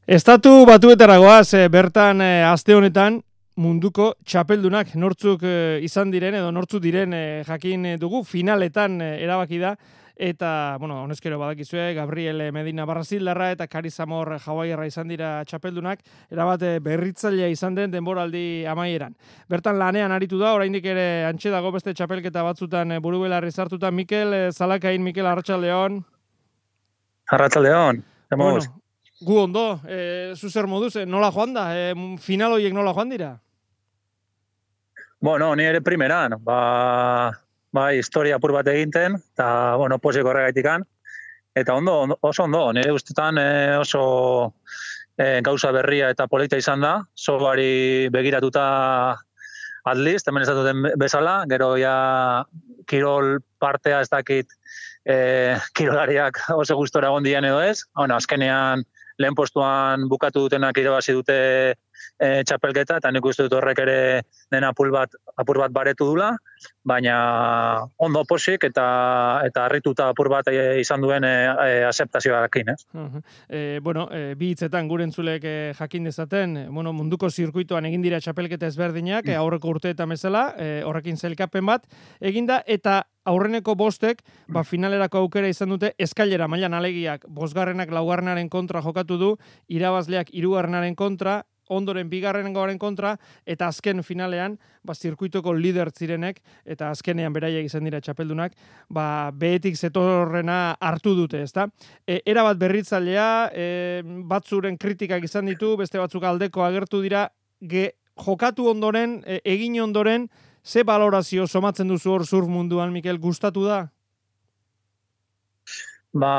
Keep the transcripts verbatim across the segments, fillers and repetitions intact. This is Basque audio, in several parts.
Estatu Batuetara goaz, e, bertan e, aste honetan munduko txapeldunak nortzuk e, izan diren edo nortzuk diren e, jakin dugu finaletan e, erabaki da eta bueno, honezkero badakizue Gabriel Medina Brasildarra eta Kari Zamor Hawaiiarra izan dira txapeldunak, erabat berritzailea izan den denboraldi amaieran. Bertan lanean aritu da, oraindik ere antxe dago beste txapelketa batzutan e, burubelarri sartuta. Mikel e, Zalakain, Mikel Arratsaldeon. Arratsaldeon. Bueno, gu ondo, e, zuzer moduz, e, nola joan da? E, final horiek nola joan dira? Bueno, ni ere primeran, ba, ba historia apur bat eginten, eta, bueno, posik horregaitikan. Eta ondo, ondo, oso ondo, nire ustetan e, oso e, gauza berria eta polita izan da, sobari begiratuta atliz, hemen ez duten bezala, gero ja kirol partea ez dakit e, kirolariak oso gustora egon dian edo ez. Bueno, azkenean lehen postuan bukatu dutenak irabazi dute e, txapelketa, eta nik uste dut horrek ere dena apur bat, apur bat baretu dula, baina ondo posik eta eta harrituta apur bat e, izan duen e, e, aseptazioarekin, ez? Uh-huh. E, bueno, e, bi hitzetan gure entzulek e, jakin dezaten, bueno, munduko zirkuitoan egin dira txapelketa ezberdinak, mm. e, aurreko urteetan bezala, e, horrekin zelkapen bat eginda, eta aurreneko bostek, ba, finalerako aukera izan dute eskailera mailan alegiak, bosgarrenak laugarrenaren kontra jokatu du, irabazleak hirugarrenaren kontra, ondoren bigarrengoaren kontra, eta azken finalean, ba, zirkuitoko lider zirenek, eta azkenean beraiek izan dira txapeldunak, ba, behetik zetorrena hartu dute, ezta? E, era bat berritzailea, e, batzuren kritikak izan ditu, beste batzuk aldeko agertu dira, ge, jokatu ondoren, e, egin ondoren, ze balorazio somatzen duzu hor surf munduan, Mikel, gustatu da? Ba,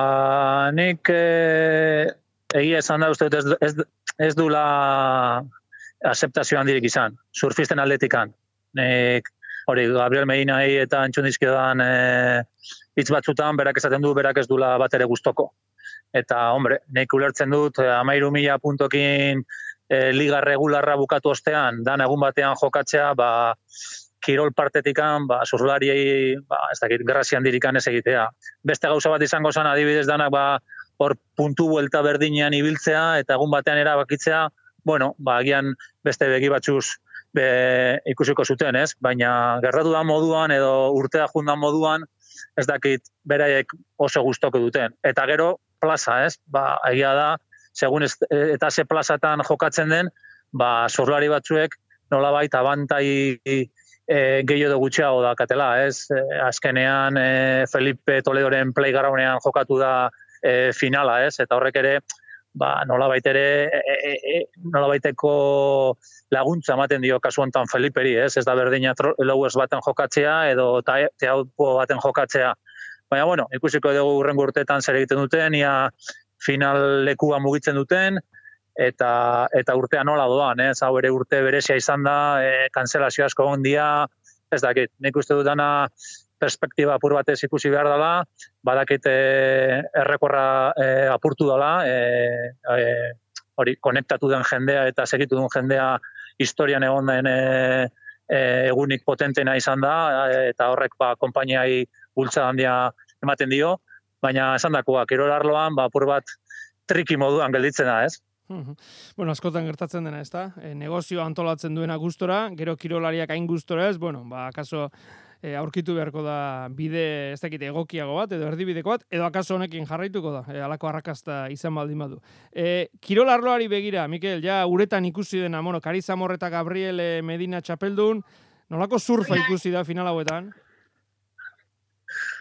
nik e, egia esan da uste ez, ez, ez dula aseptazio handirik izan, surfisten atletikan. Nik, hori, Gabriel Medinai eta antxundizkiodan e, hitz batzutan, berak esaten du, berak ez dula bat ere gustoko. Eta, hombre, nik ulertzen dut, amairu mila puntokin e, liga regularra bukatu ostean, dan egun batean jokatzea, ba, kirol partetikan, ba, surflariei, ba, ez dakit, grazia handirikan ez egitea. Beste gauza bat izango zen, adibidez danak, ba, hor puntu buelta berdinean ibiltzea, eta egun batean erabakitzea, bueno, ba, agian beste begi batzuz be, ikusiko zuten, ez? Baina gertatu da moduan, edo urtea jundan moduan, ez dakit, beraiek oso gustoko duten. Eta gero, plaza, ez? Ba, egia da, segun ez, eta ze plazatan jokatzen den, ba, surflari batzuek nolabait abantai E, gehiago gutxiago dakatela, ez? E, azkenean e, Felipe Toledoren playgroundean jokatu da e, finala, ez? Eta horrek ere, ba, nolabait ere, e, e, e, nolabaiteko laguntza ematen dio kasu honetan Feliperi, ez? Ez da berdina lowers baten jokatzea edo teaupo baten jokatzea. Baina, bueno, ikusiko dugu hurrengo urteetan zer egiten duten, ia final lekua mugitzen duten, eta eta urtea nola doan, ez? Hau ere urte berezia izan da, e, kanzelazio asko egon dira, ez dakit, nik uste dutana perspektiba apur batez ikusi behar dela, badakit e, errekorra e, apurtu dela, e, e, hori, konektatu den jendea eta segitu den jendea historian egon den e, e, egunik potentena izan da, e, eta horrek ba, konpainiai bultza handia ematen dio, baina esan dakoa, kirol arloan, ba, apur bat triki moduan gelditzen da, ez? Bueno, askotan gertatzen dena, ezta? E, negozio antolatzen duena gustora, gero kirolariak hain gustora ez, bueno, ba, akaso e, aurkitu beharko da bide, ez dakit, egokiago bat, edo erdibideko bat, edo akaso honekin jarraituko da, e, alako arrakasta izan baldin badu. E, kirol arloari begira, Mikel, ja, uretan ikusi dena, bueno, Kari Zamor eta Gabriel Medina txapeldun, nolako surfa ikusi da final hauetan?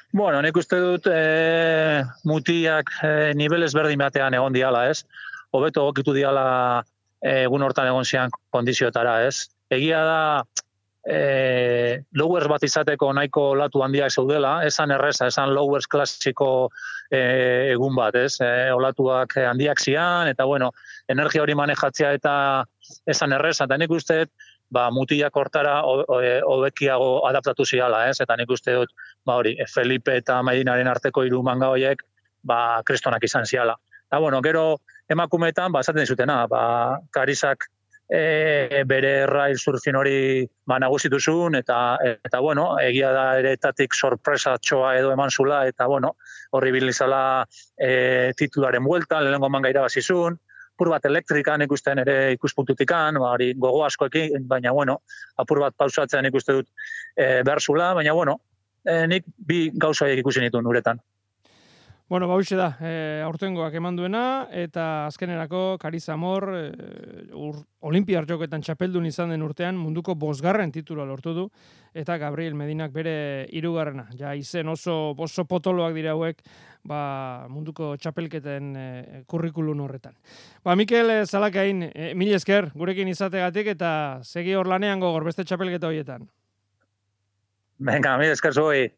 Bueno, nik uste dut e, mutiak e, nivel ezberdin batean egon diala, ez? Hobeto egokitu diala egun hortan egon zian kondiziotara, ez? Egia da, e, lowers bat izateko nahiko olatu handiak zeudela, esan erreza, esan lowers klasiko e, egun bat, ez? E, olatuak handiak zian, eta bueno, energia hori manejatzea eta esan erreza, eta nik uste dut, ba, mutiak hortara hobekiago adaptatu ziala, ez? Eta nik uste dut, ba hori, Felipe eta Medinaren arteko hiru manga horiek, ba, kristonak izan ziala. Eta, bueno, gero emakumeetan, ba, esaten dizutena, ba, Karisak e, bere rail surfin hori ba, nagusitu zuen, eta, eta, bueno, egia da ere etatik sorpresa txoa edo eman zula, eta, bueno, horri bilizala e, titularen buelta, lehenengo manga irabazi zuen, apur bat elektrikan ikusten ere ikuspuntutikan, ba, hori gogo askoekin, baina bueno, apur bat pausatzen ikuste dut e, behar zula, baina bueno, e, nik bi gauza horiek ikusi nituen uretan. Bueno, ba, hoxe da, e, aurtengoak eman duena, eta azkenerako Kari Zamor e, ur, Olimpiar Jokoetan txapeldun izan den urtean munduko bosgarren titula lortu du, eta Gabriel Medinak bere hirugarrena. Ja, izen oso, oso potoloak dira hauek, ba, munduko txapelketen e, kurrikulun horretan. Ba, Mikel e, Zalakain, e, mil esker gurekin izategatik, eta segi hor lanean gogor beste txapelketa horietan. Venga, mil esker zuei.